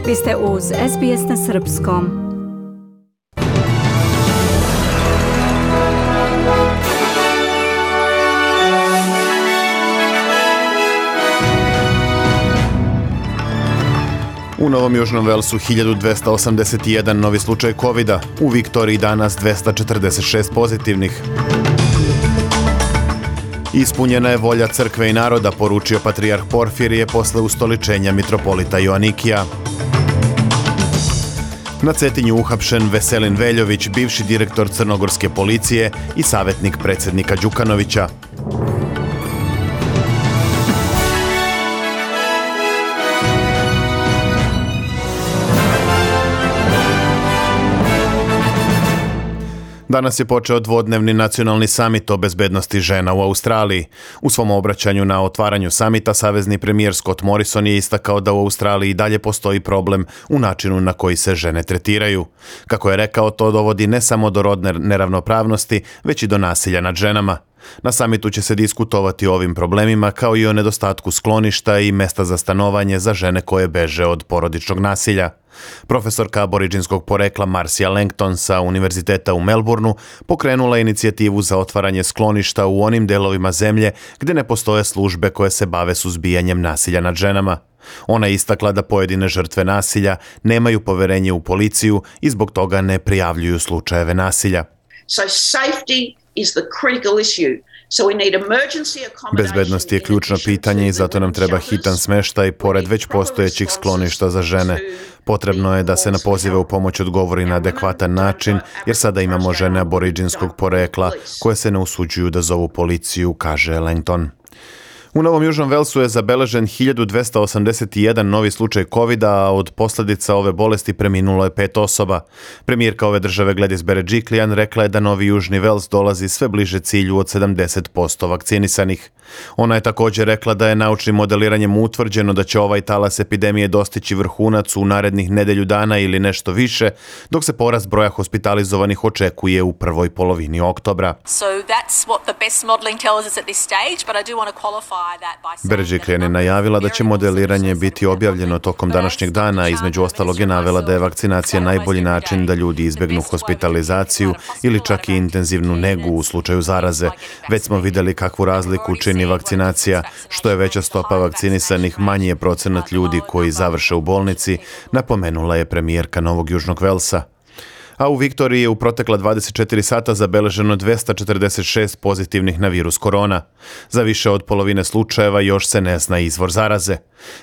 Vi ste uz SBS na srpskom. U Novom Južnom Velsu 1281 novi slučaj COVID-a, u Viktoriji danas 246 pozitivnih. Ispunjena je volja crkve i naroda, poručio patrijarh Porfirije posle ustoličenja mitropolita Joanikija. Na Cetinju uhapšen Veselin Veljović, bivši direktor crnogorske policije i savjetnik predsjednika Đukanovića. Danas je počeo dvodnevni nacionalni samit o bezbednosti žena u Australiji. U svom obraćanju na otvaranju samita, savezni premijer Scott Morrison je istakao da u Australiji dalje postoji problem u načinu na koji se žene tretiraju. Kako je rekao, to dovodi ne samo do rodne neravnopravnosti, već i do nasilja nad ženama. Na samitu će se diskutovati o ovim problemima, kao i o nedostatku skloništa i mesta za stanovanje za žene koje beže od porodičnog nasilja. Profesorka aboridžinskog porekla Marcia Langton sa Univerziteta u Melbourneu pokrenula je inicijativu za otvaranje skloništa u onim delovima zemlje gdje ne postoje službe koje se bave suzbijanjem nasilja nad ženama. Ona je istakla da pojedine žrtve nasilja nemaju poverenje u policiju i zbog toga ne prijavljuju slučajeve nasilja. Bezbednost je ključno pitanje i zato nam treba hitan smještaj pored već postojećih skloništa za žene. Potrebno je da se na pozive u pomoć odgovori na adekvatan način, jer sada imamo žene aboridžinskog porekla koje se ne usuđuju da zovu policiju, kaže Langton. U Novom Južnom Velsu je zabeležen 1281 novi slučaj COVID-a, a od posljedica ove bolesti preminulo je 5 osoba. Premijerka ove države Gladys Berejiklian rekla je da Novi Južni Vels dolazi sve bliže cilju od 70% vakcinisanih. Ona je također rekla da je naučnim modeliranjem utvrđeno da će ovaj talas epidemije dostići vrhunac u narednih nedelju dana ili nešto više, dok se porast broja hospitalizovanih očekuje u prvoj polovini oktobra. Berejiklian je najavila da će modeliranje biti objavljeno tokom današnjeg dana, između ostalog je navela da je vakcinacija najbolji način da ljudi izbjegnu hospitalizaciju ili čak i intenzivnu negu u slučaju zaraze. Već smo vidjeli kakvu razliku čini vakcinacija. Što je veća stopa vakcinisanih, manji je procenat ljudi koji završe u bolnici, napomenula je premijerka Novog Južnog Velsa. A u Viktoriji je u protekla 24 sata zabeleženo 246 pozitivnih na virus korona. Za više od polovine slučajeva još se ne zna izvor zaraze.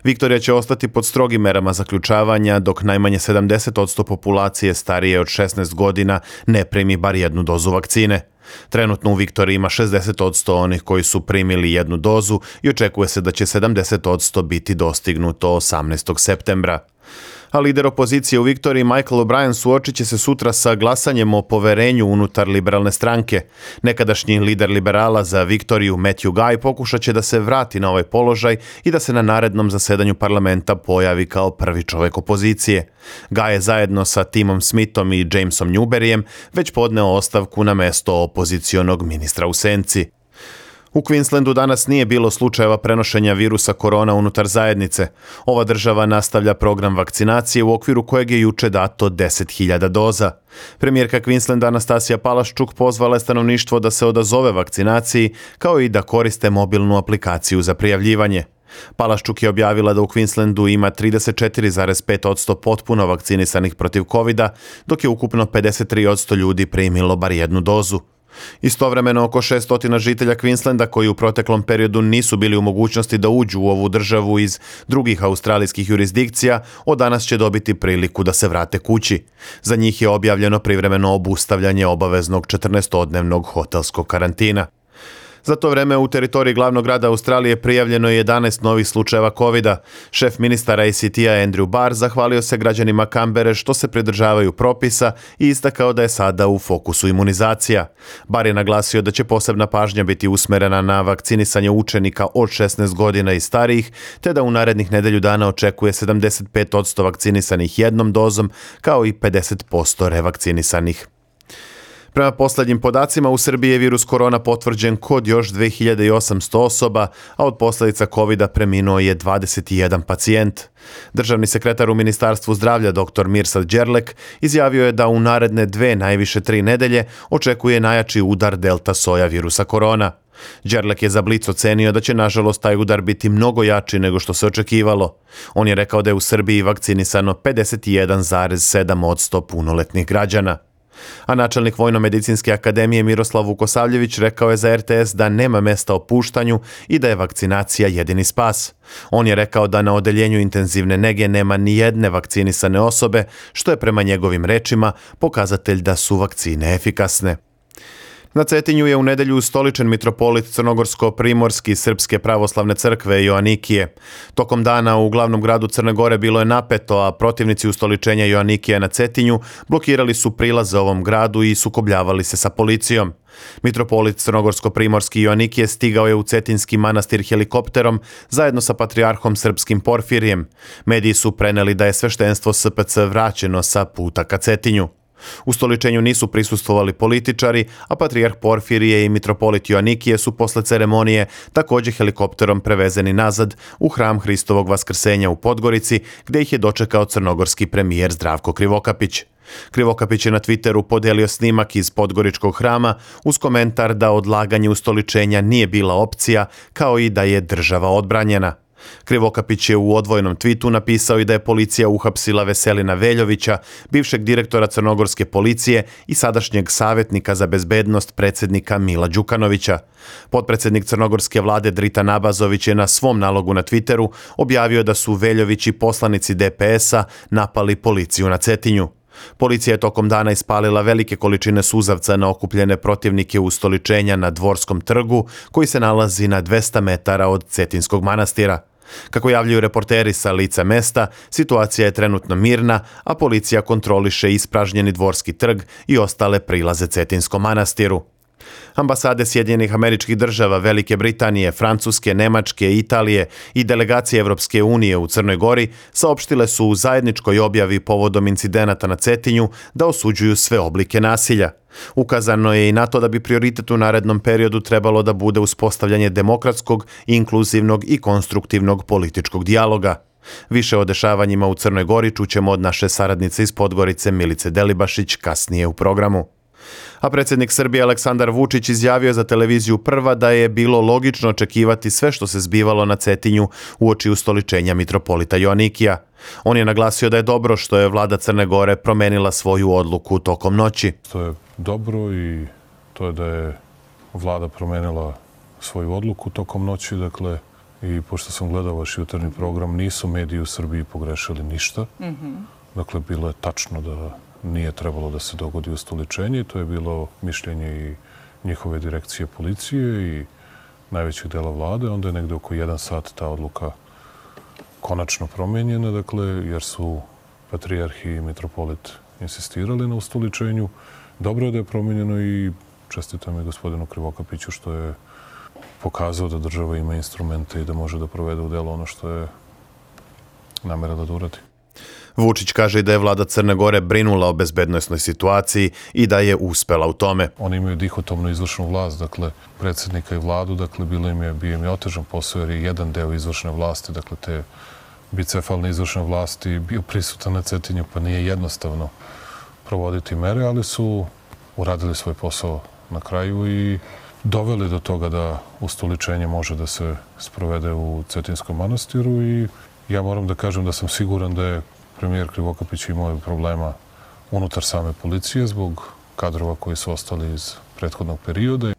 Viktorija će ostati pod strogim merama zaključavanja, dok najmanje 70% populacije starije od 16 godina ne primi bar jednu dozu vakcine. Trenutno u Viktoriji ima 60% onih koji su primili jednu dozu i očekuje se da će 70% biti dostignuto 18. septembra. A lider opozicije u Viktoriji Michael O'Brien suočit će se sutra sa glasanjem o poverenju unutar liberalne stranke. Nekadašnji lider liberala za Viktoriju Matthew Guy pokušat će da se vrati na ovaj položaj i da se na narednom zasedanju parlamenta pojavi kao prvi čovjek opozicije. Guy je zajedno sa Timom Smithom i Jamesom Newberryjem već podneo ostavku na mesto opozicionog ministra u senci. U Queenslandu danas nije bilo slučajeva prenošenja virusa korona unutar zajednice. Ova država nastavlja program vakcinacije u okviru kojeg je juče dato 10.000 doza. Premijerka Queenslanda Anastasija Palaszczuk pozvala je stanovništvo da se odazove vakcinaciji, kao i da koriste mobilnu aplikaciju za prijavljivanje. Palaszczuk je objavila da u Queenslandu ima 34,5% potpuno vakcinisanih protiv COVID-a, dok je ukupno 53% ljudi primilo bar jednu dozu. Istovremeno oko 600 žitelja Queenslanda koji u proteklom periodu nisu bili u mogućnosti da uđu u ovu državu iz drugih australijskih jurisdikcija, od danas će dobiti priliku da se vrate kući. Za njih je objavljeno privremeno obustavljanje obaveznog 14-dnevnog hotelskog karantina. Za to vreme u teritoriji glavnog grada Australije prijavljeno je 11 novih slučajeva COVID-a. Šef ministara ACT-a Andrew Barr zahvalio se građanima Kambere što se pridržavaju propisa i istakao da je sada u fokusu imunizacija. Barr je naglasio da će posebna pažnja biti usmerena na vakcinisanje učenika od 16 godina i starijih, te da u narednih nedelju dana očekuje 75% vakcinisanih jednom dozom, kao i 50% revakcinisanih. Prema poslednjim podacima, u Srbiji je virus korona potvrđen kod još 2800 osoba, a od posledica COVID-a preminuo je 21 pacijent. Državni sekretar u Ministarstvu zdravlja dr. Mirsad Đerlek izjavio je da u naredne 2, najviše 3 nedelje očekuje najjači udar delta soja virusa korona. Đerlek je za Blic ocenio da će nažalost taj udar biti mnogo jači nego što se očekivalo. On je rekao da je u Srbiji vakcinisano 51,7% punoletnih građana. A načelnik Vojno-medicinske akademije Miroslav Vukosavljević rekao je za RTS da nema mesta opuštanju i da je vakcinacija jedini spas. On je rekao da na odeljenju intenzivne nege nema ni jedne vakcinisane osobe, što je prema njegovim rečima pokazatelj da su vakcine efikasne. Na Cetinju je u nedelju ustoličen mitropolit Crnogorsko-primorski Srpske pravoslavne crkve Joanikije. Tokom dana u glavnom gradu Crne Gore bilo je napeto, a protivnici ustoličenja Joanikije na Cetinju blokirali su prilaze ovom gradu i sukobljavali se sa policijom. Mitropolit Crnogorsko-primorski Joanikije stigao je u Cetinski manastir helikopterom zajedno sa patrijarhom srpskim Porfirijem. Mediji su preneli da je sveštenstvo SPC vraćeno sa puta ka Cetinju. Ustoličenju nisu prisustvovali političari, a patrijarh Porfirije i mitropolit Joanikije su posle ceremonije također helikopterom prevezeni nazad u hram Hristovog vaskrsenja u Podgorici, gde ih je dočekao crnogorski premijer Zdravko Krivokapić. Krivokapić je na Twitteru podelio snimak iz Podgoričkog hrama uz komentar da odlaganje ustoličenja nije bila opcija, kao i da je država odbranjena. Krivokapić je u odvojenom twitu napisao i da je policija uhapsila Veselina Veljovića, bivšeg direktora crnogorske policije i sadašnjeg savjetnika za bezbednost predsjednika Mila Đukanovića. Potpredsjednik crnogorske vlade Drita Nabazović je na svom nalogu na Twitteru objavio da su Veljović i poslanici DPS-a napali policiju na Cetinju. Policija je tokom dana ispalila velike količine suzavca na okupljene protivnike ustoličenja na Dvorskom trgu, koji se nalazi na 200 metara od Cetinskog manastira. Kako javljaju reporteri sa lica mesta, situacija je trenutno mirna, a policija kontroliše ispražnjeni Dvorski trg i ostale prilaze Cetinskom manastiru. Ambasade Sjedinjenih Američkih Država, Velike Britanije, Francuske, Nemačke, Italije i delegacije Evropske unije u Crnoj Gori saopštile su u zajedničkoj objavi povodom incidenata na Cetinju da osuđuju sve oblike nasilja. Ukazano je i na to da bi prioritet u narednom periodu trebalo da bude uspostavljanje demokratskog, inkluzivnog i konstruktivnog političkog dijaloga. Više o dešavanjima u Crnoj Gori čućemo od naše saradnice iz Podgorice Milice Delibašić kasnije u programu. A predsjednik Srbije Aleksandar Vučić izjavio za televiziju Prva da je bilo logično očekivati sve što se zbivalo na Cetinju uoči ustoličenja mitropolita Joanikija. On je naglasio da je dobro što je vlada Crne Gore promenila svoju odluku tokom noći. To je dobro i to je da je vlada promenila svoju odluku tokom noći, dakle, i pošto sam gledao vaš jutarnji program, nisu mediji u Srbiji pogrešili ništa. Dakle, bilo je tačno da nije trebalo da se dogodi ustoličenje. To je bilo mišljenje i njihove direkcije policije i najvećeg dela vlade. Onda je negde oko 1 sat ta odluka konačno promenjena, dakle, jer su patrijarh i mitropolit insistirali na ustoličenju. Dobro je da je promenjeno i čestitam i gospodinu Krivokapiću što je pokazao da država ima instrumente i da može da provede u delo ono što je namerala da uradi. Vučić kaže da je vlada Crne Gore brinula o bezbednosnoj situaciji i da je uspela u tome. Oni imaju dihotomnu izvršnu vlast, dakle, predsjednika i vladu, dakle, bio im je otežan posao jer je jedan deo izvršne vlasti, dakle, te bicefalne izvršne vlasti bio prisutan na Cetinju, pa nije jednostavno provoditi mere, ali su uradili svoj posao na kraju i doveli do toga da ustoličenje može da se sprovede u Cetinskom manastiru i ja moram da kažem da sam siguran da je premijer Krivokapić imao problema unutar same policije zbog kadrova koji su ostali iz prethodnog perioda.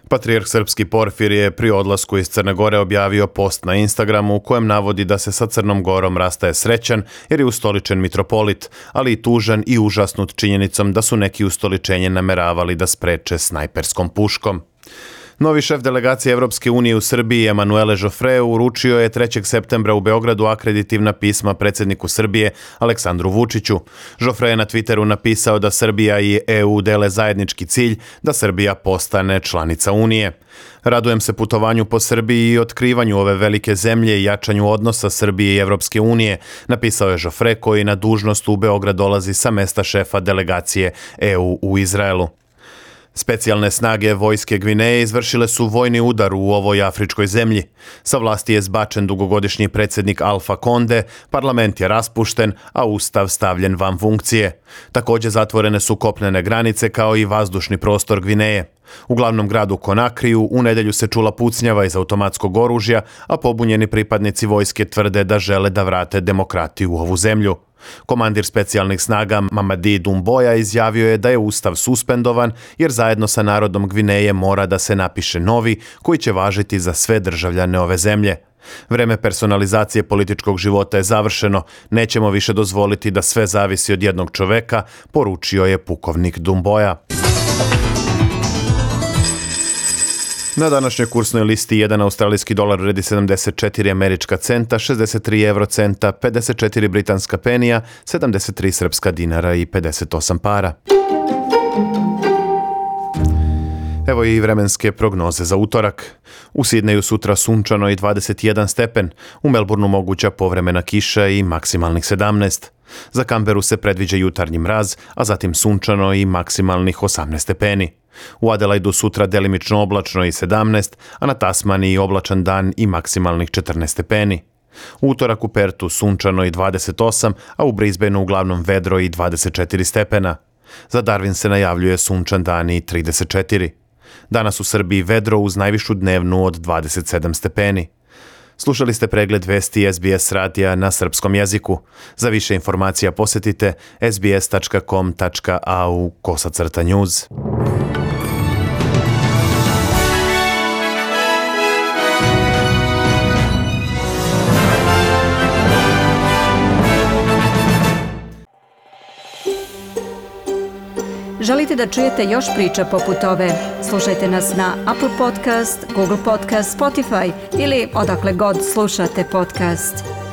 Patrijarh srpski Porfirije je pri odlasku iz Crne Gore objavio post na Instagramu u kojem navodi da se sa Crnom Gorom rastaje srećan jer je ustoličen mitropolit, ali i tužan i užasnut činjenicom da su neki ustoličenje nameravali da spreče snajperskom puškom. Novi šef delegacije Evropske unije u Srbiji, Emanuele Joffre, uručio je 3. septembra u Beogradu akreditivna pisma predsjedniku Srbije, Aleksandru Vučiću. Joffre je na Twitteru napisao da Srbija i EU dele zajednički cilj da Srbija postane članica Unije. Radujem se putovanju po Srbiji i otkrivanju ove velike zemlje i jačanju odnosa Srbije i Evropske unije, napisao je Joffre koji na dužnost u Beograd dolazi sa mesta šefa delegacije EU u Izraelu. Specijalne snage vojske Gvineje izvršile su vojni udar u ovoj afričkoj zemlji. Sa vlasti je zbačen dugogodišnji predsjednik Alfa Konde, parlament je raspušten, a ustav stavljen van funkcije. Također zatvorene su kopnene granice kao i vazdušni prostor Gvineje. U glavnom gradu Konakriju u nedjelju se čula pucnjava iz automatskog oružja, a pobunjeni pripadnici vojske tvrde da žele da vrate demokratiju u ovu zemlju. Komandir specijalnih snaga Mamadi Doumbouya izjavio je da je ustav suspendovan jer zajedno sa narodom Gvineje mora da se napiše novi koji će važiti za sve državljane ove zemlje. Vreme personalizacije političkog života je završeno, nećemo više dozvoliti da sve zavisi od jednog čoveka, poručio je pukovnik Doumbouya. Na današnjoj kursnoj listi jedan australijski dolar vredi 74 američka centa, 63 eurocenta, 54 britanska penija, 73 srpska dinara i 58 para. Evo i vremenske prognoze za utorak. U Sidneju sutra sunčano i 21 stepen, u Melbourneu moguća povremena kiša i maksimalnih 17. Za Canberu se predviđa jutarnji mraz, a zatim sunčano i maksimalnih 18 stepeni. U Adelaidu sutra delimično oblačno i 17, a na Tasmaniji oblačan dan i maksimalnih 14 stepeni. U utorak u Pertu sunčano i 28, a u Brisbaneu uglavnom vedro i 24 stepena. Za Darwin se najavljuje sunčan dan i 34. Danas u Srbiji vedro uz najvišu dnevnu od 27 stepeni. Slušali ste pregled vesti SBS radija na srpskom jeziku. Za više informacija posjetite sbs.com.au/news. Želite da čujete još priča poput ove? Slušajte nas na Apple Podcast, Google Podcast, Spotify ili odakle god slušate podcast.